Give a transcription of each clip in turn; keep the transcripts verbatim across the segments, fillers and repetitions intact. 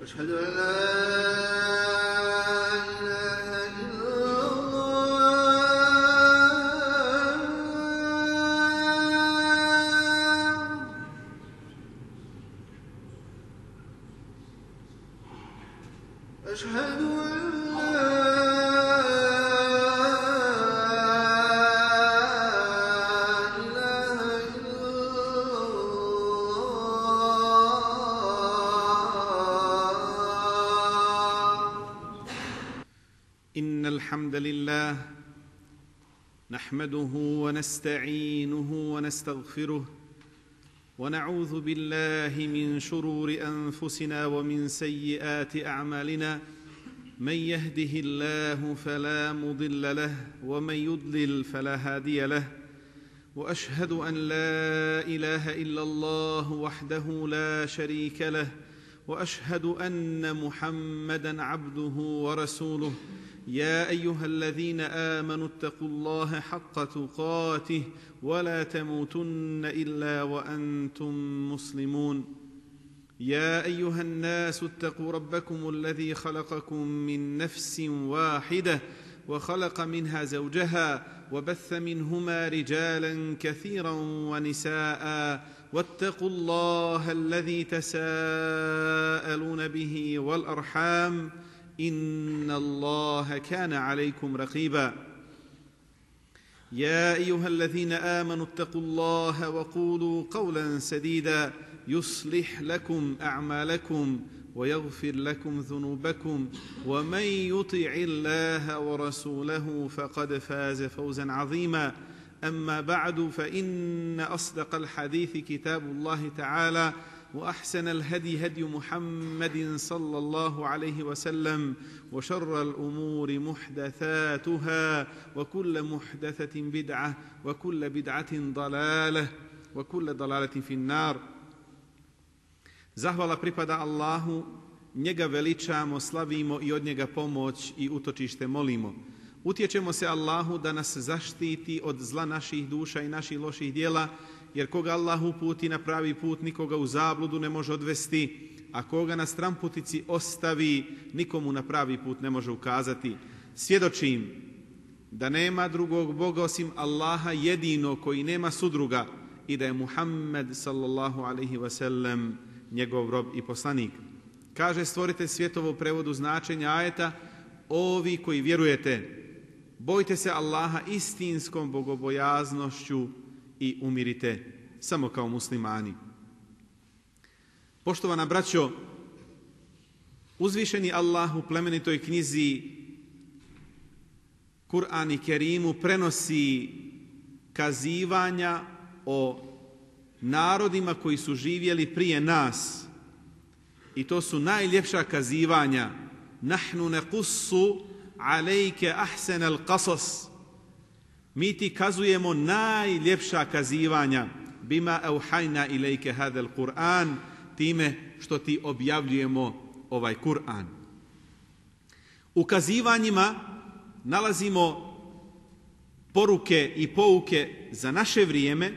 أشهد أن لا إله إلا الله أشهد أن إن الحمد لله نحمده ونستعينه ونستغفره ونعوذ بالله من شرور أنفسنا ومن سيئات أعمالنا من يهده الله فلا مضل له ومن يضلل فلا هادي له وأشهد أن لا إله إلا الله وحده لا شريك له وأشهد أن محمدًا عبده ورسوله يا أيها الذين آمنوا اتقوا الله حق تقاته ولا تموتن إلا وأنتم مسلمون يا أيها الناس اتقوا ربكم الذي خلقكم من نفس واحدة وخلق منها زوجها وبث منهما رجالا كثيرا ونساء واتقوا الله الذي تساءلون به والأرحام إن الله كان عليكم رقيبا يا أيها الذين آمنوا اتقوا الله وقولوا قولا سديدا يصلح لكم أعمالكم ويغفر لكم ذنوبكم ومن يطع الله ورسوله فقد فاز فوزا عظيما أما بعد فإن أصدق الحديث كتاب الله تعالى وأحسن الهدي هدي محمد صلى الله عليه وسلم وشر الأمور محدثاتها وكل محدثة بدعة وكل بدعة ضلالة وكل ضلالة في النار. Zahvala pripada Allahu, njega veličamo, slavimo i od njega pomoć i utočište molimo. Utječemo se Allahu da nas zaštiti od zla naših duša i naših loših djela, jer koga Allah uputi na pravi put, nikoga u zabludu ne može odvesti, a koga na stramputici ostavi, nikomu na pravi put ne može ukazati. Svjedočim da nema drugog Boga osim Allaha jedino koji nema sudruga i da je Muhammed sallallahu alaihi wasallam njegov rob i poslanik. Kaže stvoritelj svjetova u prevodu značenja ajeta: ovi koji vjerujete, bojte se Allaha istinskom bogobojaznošću i umirite samo kao muslimani. Poštovana braćo, uzvišeni Allah u plemenitoj knjizi Kur'an i Kerimu prenosi kazivanja o narodima koji su živjeli prije nas. I to su najljepša kazivanja. Nahnu nequssu alejke ahsenal qasas. Mi ti kazujemo najljepša kazivanja. Bima auhajna ilejke hadel Kur'an, time što ti objavljujemo ovaj Kur'an. U kazivanjima nalazimo poruke i pouke za naše vrijeme,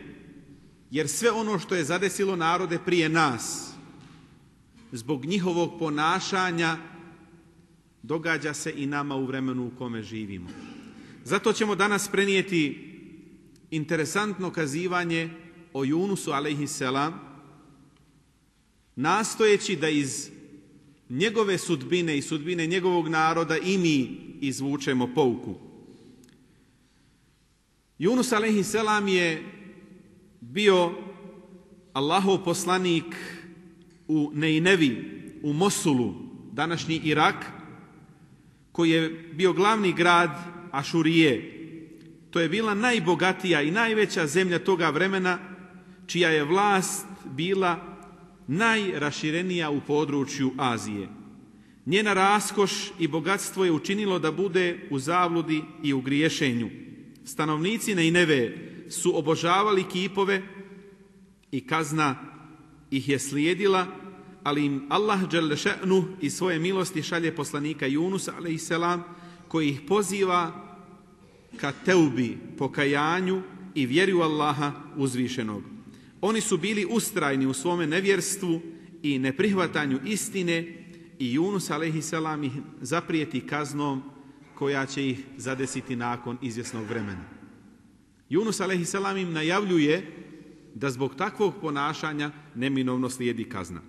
jer sve ono što je zadesilo narode prije nas, zbog njihovog ponašanja, događa se i nama u vremenu u kome živimo. Zato ćemo danas prenijeti interesantno kazivanje o Junusu alejhiselam, nastojeći da iz njegove sudbine i sudbine njegovog naroda i mi izvučemo pouku. Yunus alejhiselam je bio Allahov poslanik u Nejnevi, u Mosulu, današnji Irak, koji je bio glavni grad Ašurije. To je bila najbogatija i najveća zemlja toga vremena, čija je vlast bila najraširenija u području Azije. Njena raskoš i bogatstvo je učinilo da bude u zabludi i u griješenju. Stanovnici Nejneve su obožavali kipove i kazna ih je slijedila, ali im Allah dželle še'nu iz svoje milosti šalje poslanika Junusa alejselam koji ih poziva ka teubi, pokajanju i vjeri u Allaha uzvišenog. Oni su bili ustrajni u svome nevjerstvu i neprihvatanju istine i Junus alejselam ih zaprijeti kaznom koja će ih zadesiti nakon izvjesnog vremena. Junus alejselam im najavljuje da zbog takvog ponašanja neminovno slijedi kazna.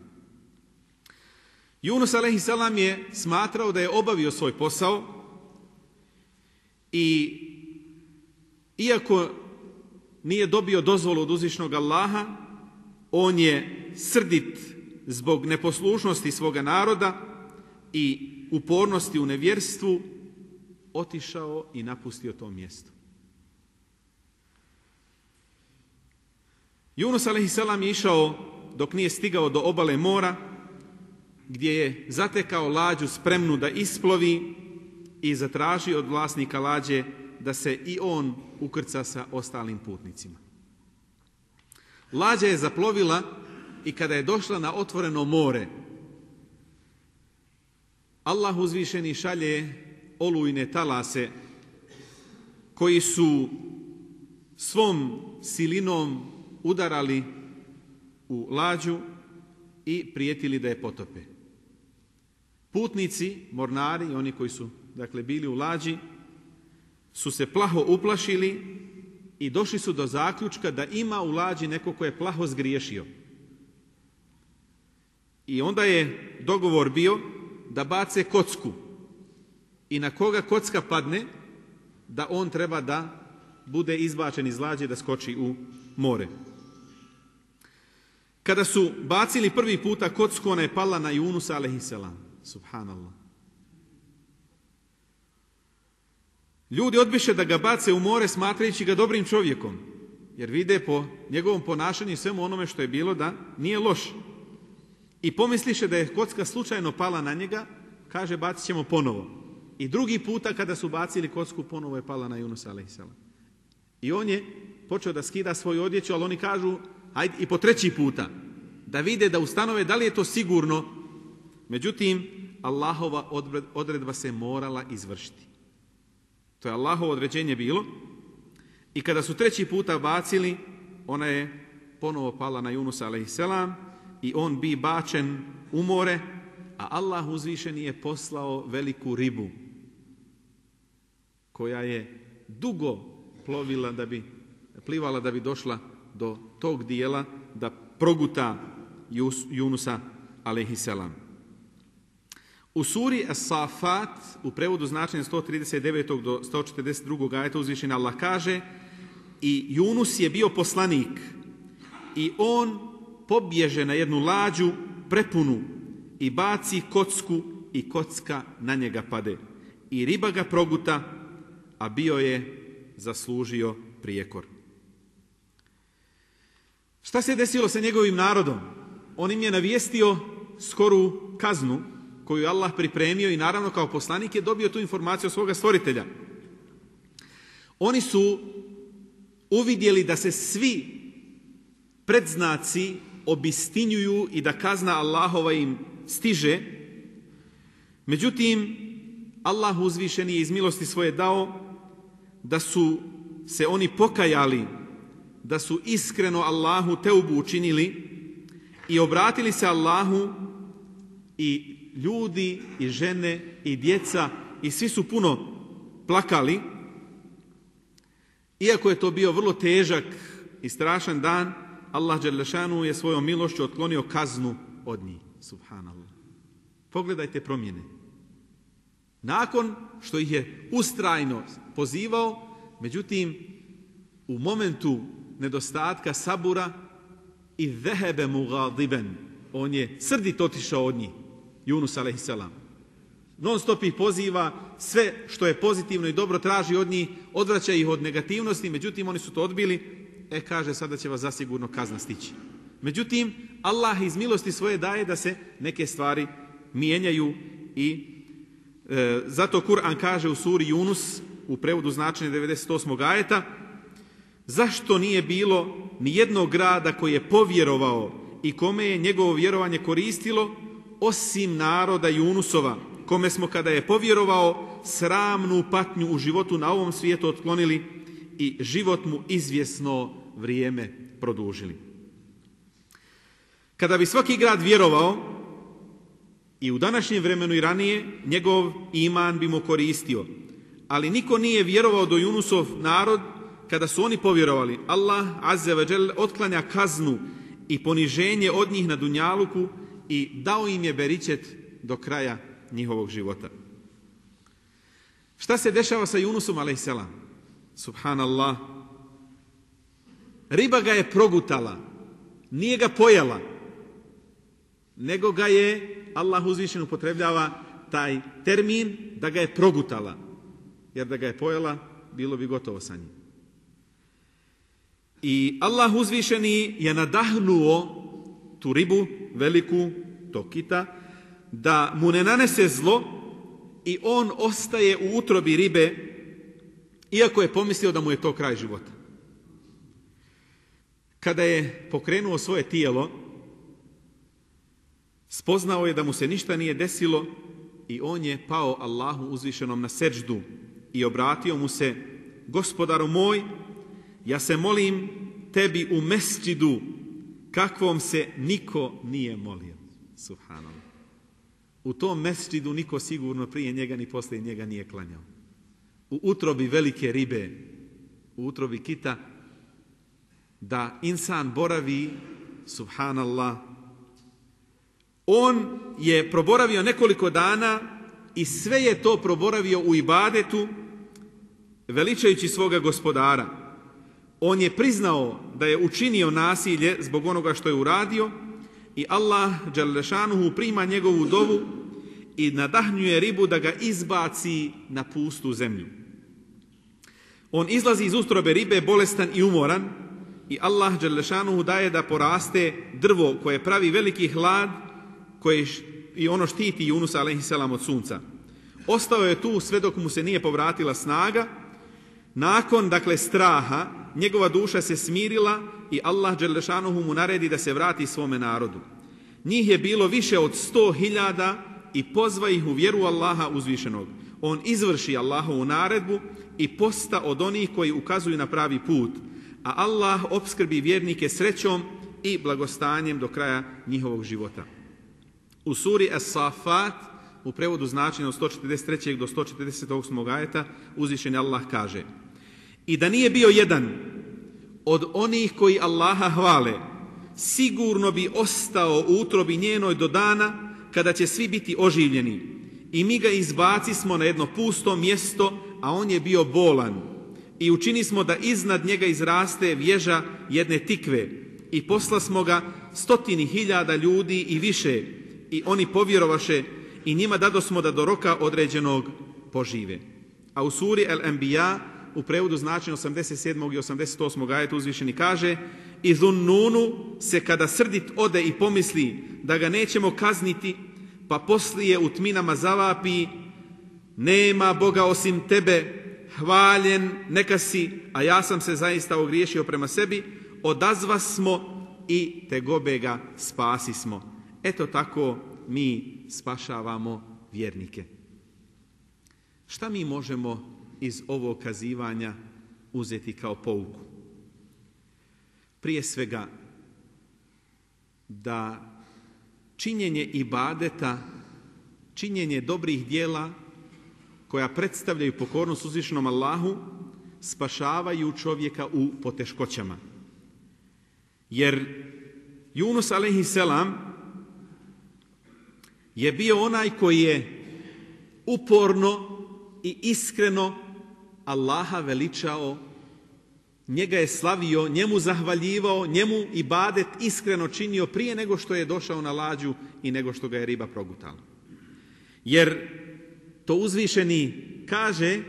Junus alejselam je smatrao da je obavio svoj posao i iako nije dobio dozvolu od uzvišnog Allaha, on je srdit zbog neposlušnosti svoga naroda i upornosti u nevjerstvu otišao i napustio to mjesto. Junus alejselam je išao dok nije stigao do obale mora, gdje je zatekao lađu spremnu da isplovi i zatražio od vlasnika lađe da se i on ukrca sa ostalim putnicima. Lađa je zaplovila i kada je došla na otvoreno more, Allah uzvišeni šalje olujne talase koji su svom silinom udarali u lađu i prijetili da je potope. Putnici, mornari, oni koji su dakle bili u lađi, su se plaho uplašili i došli su do zaključka da ima u lađi neko ko je plaho zgriješio. I onda je dogovor bio da bace kocku i na koga kocka padne, da on treba da bude izbačen iz lađe, da skoči u more. Kada su bacili prvi puta kocku, ona je pala na Junusa alejselam. Subhanallah. Ljudi odbiše da ga bace u more smatrajući ga dobrim čovjekom, jer vide po njegovom ponašanju i svemu onome što je bilo da nije loš. I pomisliše da je kocka slučajno pala na njega, kaže bacit ćemo ponovo. I drugi puta kada su bacili kocku, ponovo je pala na Junusa alejselam. I on je počeo da skida svoju odjeću, ali oni kažu hajde i po treći puta, da vide, da ustanove da li je to sigurno. Međutim, Allahova odredba se morala izvršiti. To je Allahovo određenje bilo. I kada su treći puta bacili, ona je ponovo pala na Junusa alejselam i on bi bačen u more, a Allah uzvišeni je poslao veliku ribu koja je dugo plovila da bi, plivala da bi došla do tog dijela da proguta Junusa alejselam. U suri As-Safat, u prevodu značenja sto trideset devet do sto četrdeset dva ajeta, uzvišeni Allah kaže: i Junus je bio poslanik i on pobježe na jednu lađu prepunu i baci kocku i kocka na njega pade. I riba ga proguta, a bio je zaslužio prijekor. Šta se desilo sa njegovim narodom? On im je navijestio skoru kaznu koju je Allah pripremio i naravno kao poslanik je dobio tu informaciju od svoga stvoritelja. Oni su uvidjeli da se svi predznaci obistinjuju i da kazna Allahova im stiže. Međutim, Allah uzvišeni je iz milosti svoje dao da su se oni pokajali, da su iskreno Allahu teubu učinili i obratili se Allahu, i ljudi i žene i djeca i svi su puno plakali. Iako je to bio vrlo težak i strašan dan, Allah dželle šanu je svojom milošću otklonio kaznu od njih. Subhanallah. Pogledajte promjene. Nakon što ih je ustrajno pozivao, međutim, u momentu nedostatka sabura i zehebe mugadiben, on je srdit otišao od njih, Junus alejselam. Non stop ih poziva, sve što je pozitivno i dobro traži od njih, odvraća ih od negativnosti, međutim oni su to odbili. E, kaže, sada će vas zasigurno kazna stići. Međutim, Allah iz milosti svoje daje da se neke stvari mijenjaju I e, zato Kur'an kaže u suri Yunus, u prevodu značenja devedeset osmog ajeta, zašto nije bilo ni jednog grada koji je povjerovao i kome je njegovo vjerovanje koristilo, osim naroda Yunusova, kome smo kada je povjerovao sramnu patnju u životu na ovom svijetu otklonili i život mu izvjesno vrijeme produžili. Kada bi svaki grad vjerovao, i u današnjem vremenu i ranije, njegov iman bi mu koristio. Ali niko nije vjerovao do Yunusov narod kada su oni povjerovali. Allah azza wa dželle otklanja kaznu i poniženje od njih na dunjaluku i dao im je beričet do kraja njihovog života. Šta se dešava sa Yunusom alejselam? Subhanallah. Riba ga je progutala, nije ga pojela, nego ga je, Allah uzvišeno upotrebljava taj termin, da ga je progutala. Jer da ga je pojela, bilo bi gotovo sa njim. I Allah uzvišeni je nadahnuo tu ribu, veliku, tog kita, da mu ne nanese zlo i on ostaje u utrobi ribe, iako je pomislio da mu je to kraj života. Kada je pokrenuo svoje tijelo, spoznao je da mu se ništa nije desilo i on je pao Allahu uzvišenom na seđdu i obratio mu se: Gospodaru moj, ja se molim tebi u mesdžidu kakvom se niko nije molio. Subhanallah. U tom mesdžidu niko sigurno prije njega ni poslije njega nije klanjao. U utrobi velike ribe, u utrobi kita, da insan boravi, subhanallah, on je proboravio nekoliko dana i sve je to proboravio u ibadetu, veličajući svoga gospodara. On je priznao da je učinio nasilje zbog onoga što je uradio i Allah dželle šanuhu prima njegovu dovu i nadahnjuje ribu da ga izbaci na pustu zemlju. On izlazi iz utrobe ribe bolestan i umoran i Allah dželle šanuhu daje da poraste drvo koje pravi veliki hlad, koje i ono štiti Yunusa alejhiselam od sunca. Ostao je tu sve dok mu se nije povratila snaga. Nakon, dakle, straha, njegova duša se smirila i Allah dželle šanuhu mu naredi da se vrati svome narodu. Njih je bilo više od sto hiljada i pozva ih u vjeru Allaha uzvišenog. On izvrši Allahovu naredbu i posta od onih koji ukazuju na pravi put, a Allah opskrbi vjernike srećom i blagostanjem do kraja njihovog života. U suri As-Safat, u prevodu značenja od sto četrdeset trećeg do sto četrdeset osmog ajeta, uzvišeni Allah kaže: I da nije bio jedan od onih koji Allaha hvale, sigurno bi ostao u utrobi njenoj do dana kada će svi biti oživljeni. I mi ga izbaci smo na jedno pusto mjesto, a on je bio bolan. I učini smo da iznad njega izraste vježa jedne tikve. I posla smo ga stotini hiljada ljudi i više. I oni povjerovaše i njima dadosmo da do roka određenog požive. A u suri El-Enbiya, u prevodu značenja osamdeset sedmog i osamdeset osmog ajetu uzvišeni kaže: I Zunnunu se kada srdit ode i pomisli da ga nećemo kazniti, pa poslije u tminama zavapi: nema Boga osim tebe, hvaljen neka si, a ja sam se zaista ogriješio prema sebi, odazva smo i tegobe ga spasi smo. Eto tako mi spašavamo vjernike. Šta mi možemo iz ovog kazivanja uzeti kao pouku? Prije svega, da činjenje ibadeta, činjenje dobrih dijela koja predstavljaju pokornost uzvišenom Allahu, spašavaju čovjeka u poteškoćama. Jer Yunus alejhiselam je bio onaj koji je uporno i iskreno Allaha veličao, njega je slavio, njemu zahvaljivao, njemu ibadet iskreno činio prije nego što je došao na lađu i nego što ga je riba progutala. Jer to uzvišeni kaže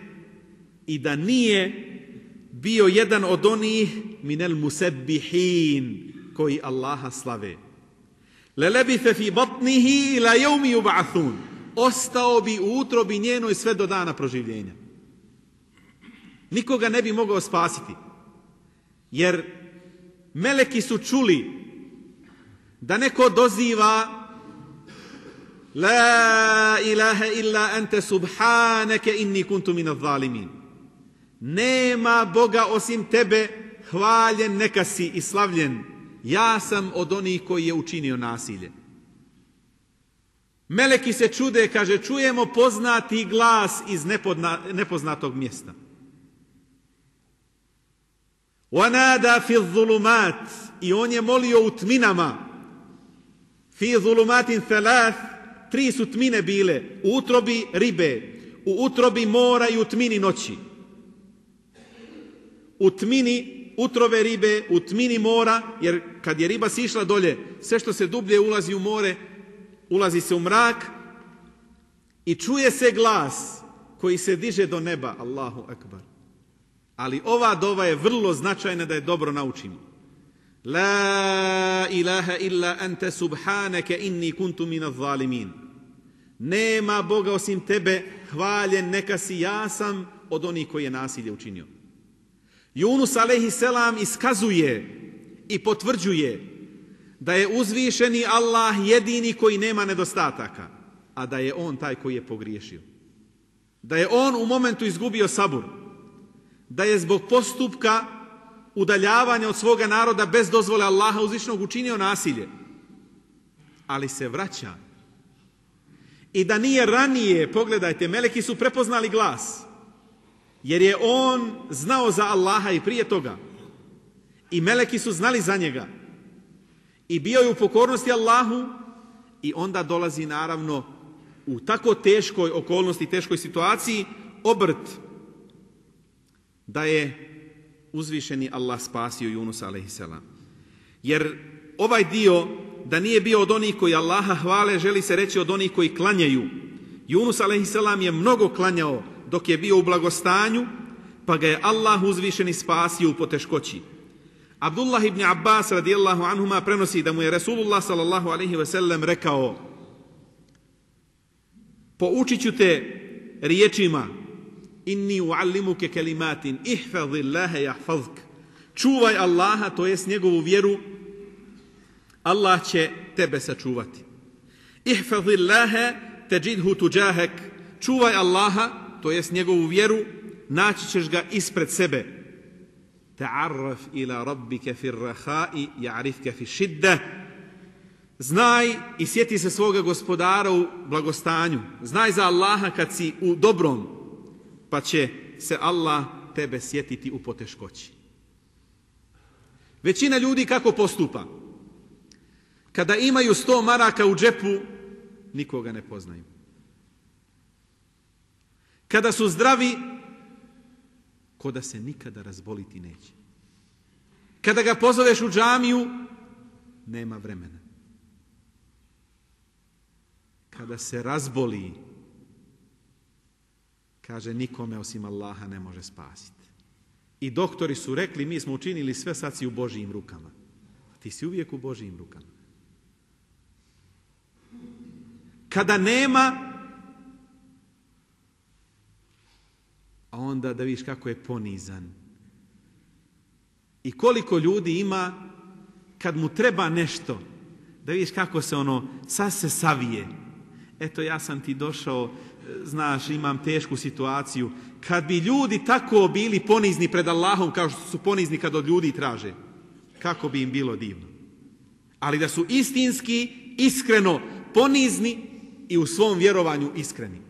i da nije bio jedan od onih minel musebbihin koji Allaha slave. Lelebithe fi batnihi ila yawmi yub'athun. ostao bi u utrobi njenoj sve do dana proživljenja. Nikoga ne bi mogao spasiti. Jer meleki su čuli da neko doziva La ilaha illa ante subhaneke inni kuntu minaz zalimin. Nema Boga osim tebe, hvaljen neka si i slavljen. Ja sam od onih koji je učinio nasilje. Meleki se čude, kaže, čujemo poznati glas iz nepodna, nepoznatog mjesta. وَنَادَا فِي الظُّلُمَاتِ I on je molio u tminama. فِي ظُلُمَاتٍ ثَلَاثٍ Tri su tmine bile, u utrobi ribe, u utrobi mora i u tmini noći. U tmini utrobe ribe, u tmini mora, jer kad je riba sišla dolje, sve što se dublje ulazi u more, ulazi se u mrak i čuje se glas koji se diže do neba. Allahu akbar. Ali ova dova je vrlo značajna da je dobro naučimo. La ilaha illa ante subhaneke inni kuntu minaz zalimin. Nema Boga osim tebe, hvaljen neka si, ja sam od onih koji je nasilje učinio. Yunus alejhi selam iskazuje i potvrđuje da je uzvišeni Allah jedini koji nema nedostataka, a da je on taj koji je pogriješio. Da je on u momentu izgubio sabur, da je zbog postupka udaljavanja od svoga naroda bez dozvole Allaha uzvišenog učinio nasilje, ali se vraća. I da nije ranije, pogledajte, meleki su prepoznali glas, jer je on znao za Allaha i prije toga. I meleki su znali za njega. I bio je u pokornosti Allahu i onda dolazi naravno u tako teškoj okolnosti, teškoj situaciji, obrt da je uzvišeni Allah spasio Junusa alejhi selam. Jer ovaj dio, da nije bio od onih koji Allaha hvale, želi se reći od onih koji klanjaju. Yunus alejhi selam je mnogo klanjao dok je bio u blagostanju, pa ga je Allah uzvišeni spasio u poteškoći. Abdullah ibn Abbas radijallahu anhuma prenosi da mu je Resulullah sallallahu alejhi ve sellem rekao: poučit ću te riječima, inni uallimuke kelimatin, ihfazillaha yahfazk. Čuvaj Allaha, to jest njegovu vjeru, Allah će tebe sačuvati. Ihfazillaha tajidhu tujahak. Čuvaj Allaha, to jest njegovu vjeru, naći ćeš ga ispred sebe. Ta'arraf ila rabbika fi ar-raha'i ya'rifka fi shiddah. Znaj i sjeti se svoga gospodara u blagostanju. Znaj za Allaha kad si u dobrom, pa će se Allah tebe sjetiti u poteškoći. Većina ljudi kako postupa? Kada imaju sto maraka u džepu, nikoga ne poznaju. Kada su zdravi, ko da se nikada razboliti neće. Kada ga pozoveš u džamiju, nema vremena. Kada se razboli, kaže, nikome osim Allaha ne može spasiti. I doktori su rekli, mi smo učinili sve, sad si u Božijim rukama. Ti si uvijek u Božijim rukama. Kada nema, a onda da vidiš kako je ponizan. I koliko ljudi ima, kad mu treba nešto, da vidiš kako se ono, sad se savije. Eto, ja sam ti došao, znaš, imam tešku situaciju. Kad bi ljudi tako bili ponizni pred Allahom, kao što su ponizni kad od ljudi traže, kako bi im bilo divno. Ali da su istinski, iskreno ponizni i u svom vjerovanju iskreni.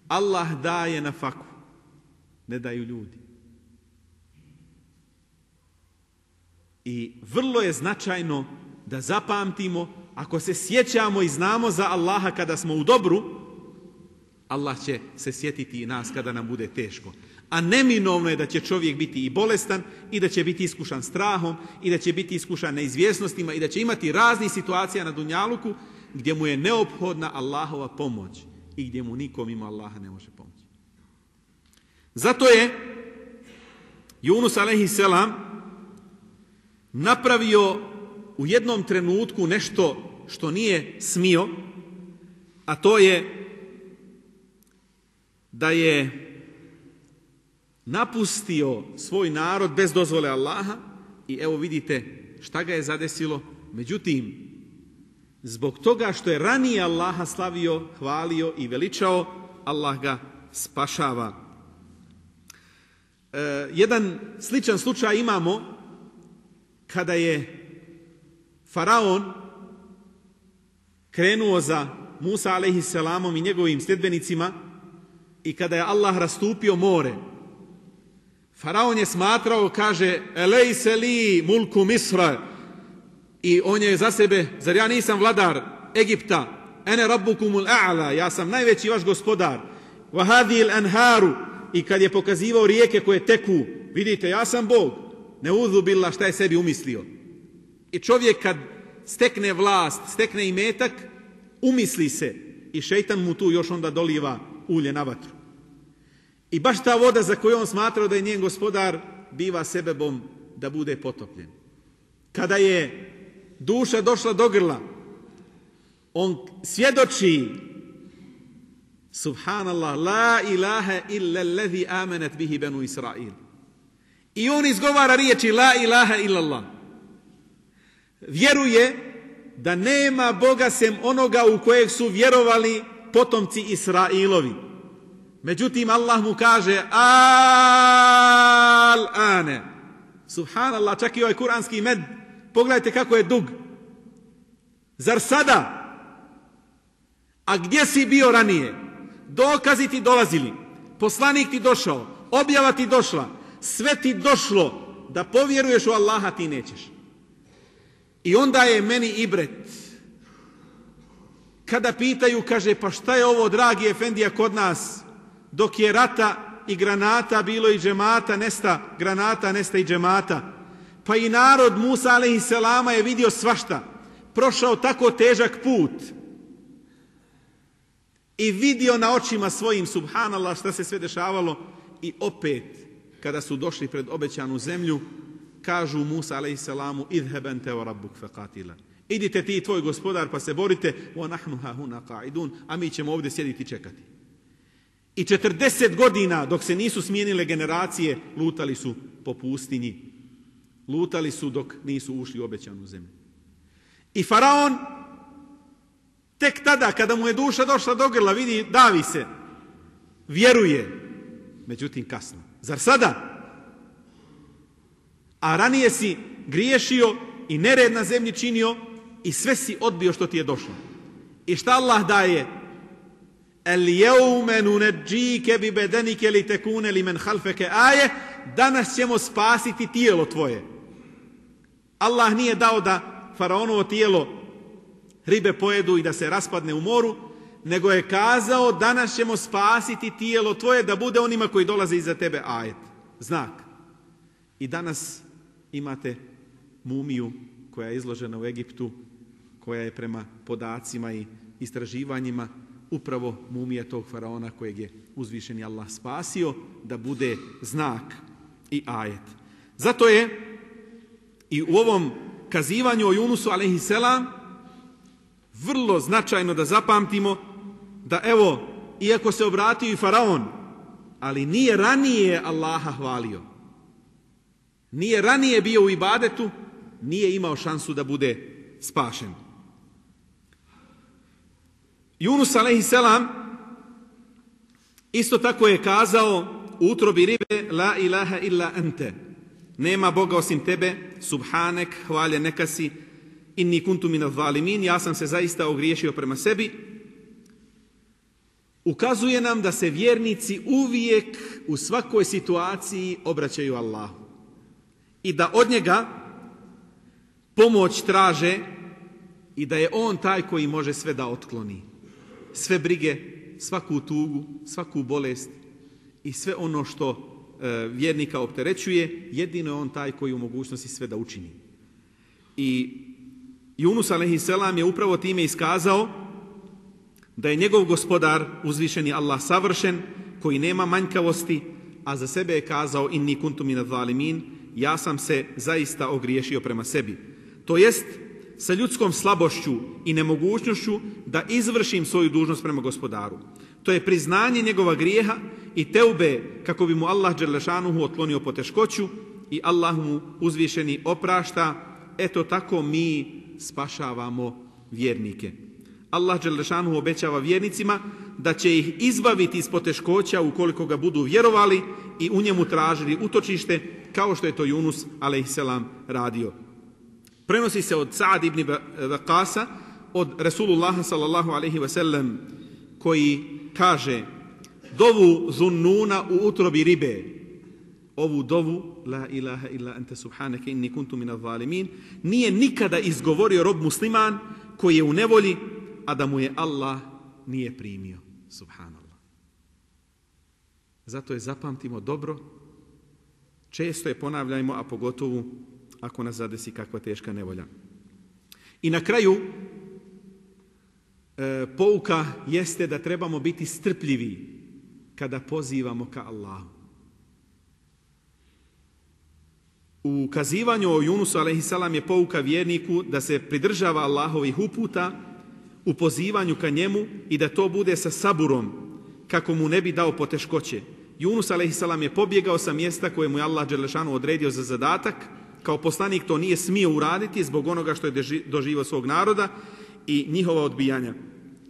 Allah daje na faku, ne daju ljudi. I vrlo je značajno da zapamtimo, ako se sjećamo i znamo za Allaha kada smo u dobru, Allah će se sjetiti i nas kada nam bude teško. A neminovno je da će čovjek biti i bolestan, i da će biti iskušan strahom, i da će biti iskušan neizvjesnostima, i da će imati raznih situacija na dunjaluku gdje mu je neophodna Allahova pomoć i gdje mu nikom ima Allaha ne može pomoći. Zato je Yunus alejhi selam napravio u jednom trenutku nešto što nije smio, a to je da je napustio svoj narod bez dozvole Allaha i evo vidite šta ga je zadesilo. Međutim, zbog toga što je ranije Allaha slavio, hvalio i veličao, Allah ga spašava. E, jedan sličan slučaj imamo kada je Faraon krenuo za Musa alejhiselamom i njegovim sljedbenicima i kada je Allah rastupio more. Faraon je smatrao, kaže, elejse li mulku Misra, i on je za sebe, zar ja nisam vladar Egipta, ene rabbukumul a'la, ja sam najveći vaš gospodar, wa hadhil anharu, i kad je pokazivao rijeke koje teku, vidite, ja sam Bog, ne udhu billah, šta je sebi umislio. I čovjek kad stekne vlast, stekne imetak, umisli se i šejtan mu tu još onda doliva ulje na vatru. I baš ta voda za koju on smatrao da je njen gospodar biva sebebom da bude potopljen. Kada je duša došla do grla, on svjedoči, subhanallah, la ilaha illa allazi amenat bihi banu Israil. I on izgovara riječi la ilaha illallah. Vjeruje da nema Boga sem onoga u kojeg su vjerovali potomci Israilovi. Međutim, Allah mu kaže al-ane. Subhanallah, čak i ovaj kuranski med, pogledajte kako je dug. Zar sada? A gdje si bio ranije? Dokazi ti dolazili, poslanik ti došao, objava ti došla, sve ti došlo, da povjeruješ u Allaha ti nećeš. I onda je meni ibret. Kada pitaju, kaže, pa šta je ovo, dragi efendija, kod nas? Dok je rata i granata bilo i džemata, nesta granata, nesta i džemata. Pa i narod Musa alejhiselama je vidio svašta. Prošao tako težak put. I vidio na očima svojim, subhanallah, šta se sve dešavalo. I opet, kada su došli pred obećanu zemlju, kažu Musa alejhiselamu, idheb ente wa rabbuk faqatila. Idite ti i tvoj gospodar pa se borite, wa nahnu hahuna qa'idun, a mi ćemo ovdje sjediti i čekati. I četrdeset godina, dok se nisu smijenile generacije, lutali su po pustinji. Lutali su dok nisu ušli u obećanu zemlju. I Faraon, tek tada, kada mu je duša došla do grla, vidi, davi se, vjeruje. Međutim, kasno. Zar sada? A ranije si griješio i nered na zemlji činio i sve si odbio što ti je došlo. I šta Allah daje? El jeume nunedžike bi bedenike li tekune li men halfeke aje, danas ćemo spasiti tijelo tvoje. Allah nije dao da Faraonovo tijelo ribe pojedu i da se raspadne u moru, nego je kazao, danas ćemo spasiti tijelo tvoje da bude onima koji dolaze iza tebe ajet. Znak. I danas imate mumiju koja je izložena u Egiptu, koja je prema podacima i istraživanjima upravo mumija tog faraona kojeg je uzvišeni Allah spasio da bude znak i ajet. Zato je i u ovom kazivanju o Junusu alejhiselam vrlo značajno da zapamtimo da evo, iako se obratio i faraon, ali nije ranije Allaha hvalio. Nije ranije bio u ibadetu, nije imao šansu da bude spašen. Yunus alejhiselam isto tako je kazao u utrobi ribe, la ilaha illa ente, nema Boga osim tebe, subhanek, hvalje neka si, inni kuntu minaz zalimin, ja sam se zaista ogriješio prema sebi. Ukazuje nam da se vjernici uvijek u svakoj situaciji obraćaju Allahu i da od njega pomoć traže i da je on taj koji može sve da otkloni. Sve brige, svaku tugu, svaku bolest i sve ono što e, vjernika opterećuje, jedino je on taj koji u mogućnosti sve da učini. I Yunus alejhiselam je upravo time iskazao da je njegov gospodar, uzvišeni Allah, savršen, koji nema manjkavosti, a za sebe je kazao inni kuntu minaz zalimin, ja sam se zaista ogriješio prema sebi. To jest, sa ljudskom slabošću i nemogućnošću da izvršim svoju dužnost prema gospodaru. To je priznanje njegova grijeha i teube kako bi mu Allah dželešanuhu otklonio poteškoću i Allah mu uzvišeni oprašta. Eto tako mi spašavamo vjernike. Allah dželešanuhu obećava vjernicima da će ih izbaviti iz poteškoća ukoliko ga budu vjerovali i u njemu tražili utočište, kao što je to Yunus alejselam radio. Prenosi se od Sa'd ibn Waqasa od Resulullaha sallallahu alejhi ve sellem koji kaže: dovu Zunnuna u utrobi ribe, ovu dovu la ilaha illa anta subhanaka inni kuntu minaz zalimin, nije nikada izgovorio rob musliman koji je u nevolji, a da mu je Allah nije primio. Subhanallah. Zato je zapamtimo dobro, često je ponavljajmo, a pogotovo ako nas zadesi kakva teška nevolja. I na kraju e, pouka jeste da trebamo biti strpljivi kada pozivamo ka Allahu. U kazivanju o Yunusu alejhiselam je pouka vjerniku da se pridržava Allahovih uputa u pozivanju ka njemu i da to bude sa saburom kako mu ne bi dao poteškoće. Yunus alejhiselam je pobjegao sa mjesta koje mu je Allah dželešanu odredio za zadatak. Kao poslanik to nije smio uraditi zbog onoga što je doživio svog naroda i njihova odbijanja.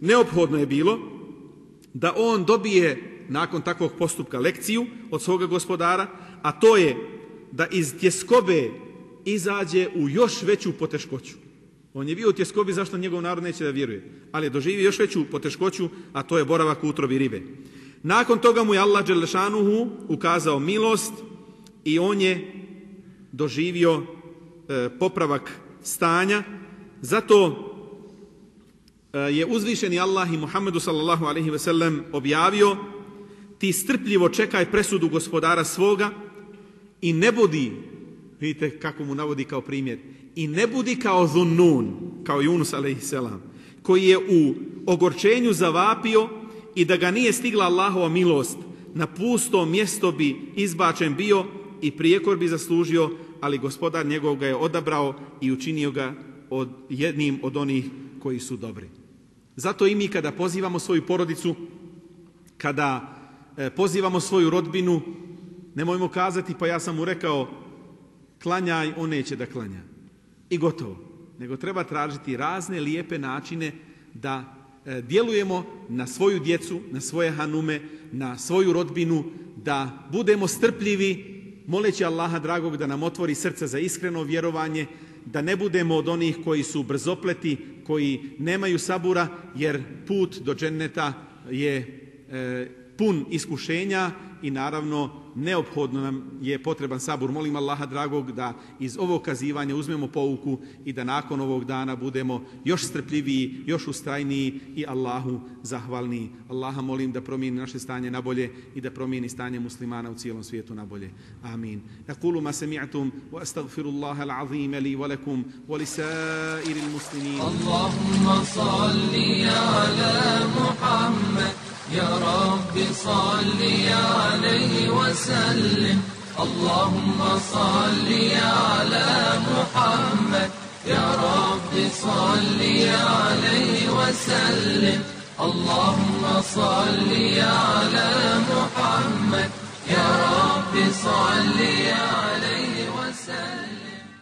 Neophodno je bilo da on dobije nakon takvog postupka lekciju od svoga gospodara, a to je da iz tjeskobe izađe u još veću poteškoću. On je bio u tjeskobi, zašto njegov narod neće da vjeruje, ali je doživio još veću poteškoću, a to je boravak u utrobi ribe. Nakon toga mu je Allah dželešanuhu ukazao milost i on je doživio e, popravak stanja. Zato e, je uzvišeni Allah i Muhammedu sallallahu alejhi ve sellem objavio: ti strpljivo čekaj presudu gospodara svoga i ne budi, vidite kako mu navodi kao primjer, i ne budi kao Zunnun, kao Yunus alejhiselam, koji je u ogorčenju zavapio i da ga nije stigla Allahova milost, na pusto mjesto bi izbačen bio i prijekor bi zaslužio, ali gospodar njegov ga je odabrao i učinio ga od jednim od onih koji su dobri. Zato i mi kada pozivamo svoju porodicu, kada e, pozivamo svoju rodbinu, nemojmo kazati pa ja sam mu rekao klanjaj, on neće da klanja. I gotovo. Nego treba tražiti razne lijepe načine da e, djelujemo na svoju djecu, na svoje hanume, na svoju rodbinu, da budemo strpljivi, moleći Allaha dragog da nam otvori srce za iskreno vjerovanje, da ne budemo od onih koji su brzopleti, koji nemaju sabura, jer put do dženneta je e, pun iskušenja i naravno neophodno nam je potreban sabur. Molim Allaha dragog da iz ovog kazivanja uzmemo pouku i da nakon ovog dana budemo još strpljiviji, još ustrajniji i Allahu zahvalniji. Allaha molim da promijeni naše stanje na bolje i da promijeni stanje muslimana u cijelom svijetu na bolje. Amin. Aqulu ma sami'tum wa astaghfirullaha al-azim li wa lakum wa li sa'iril muslimin. Allahumma salli ala Muhammad يا رب صل عليه وسلم اللهم صل على محمد يا رب صل عليه وسلم اللهم صل على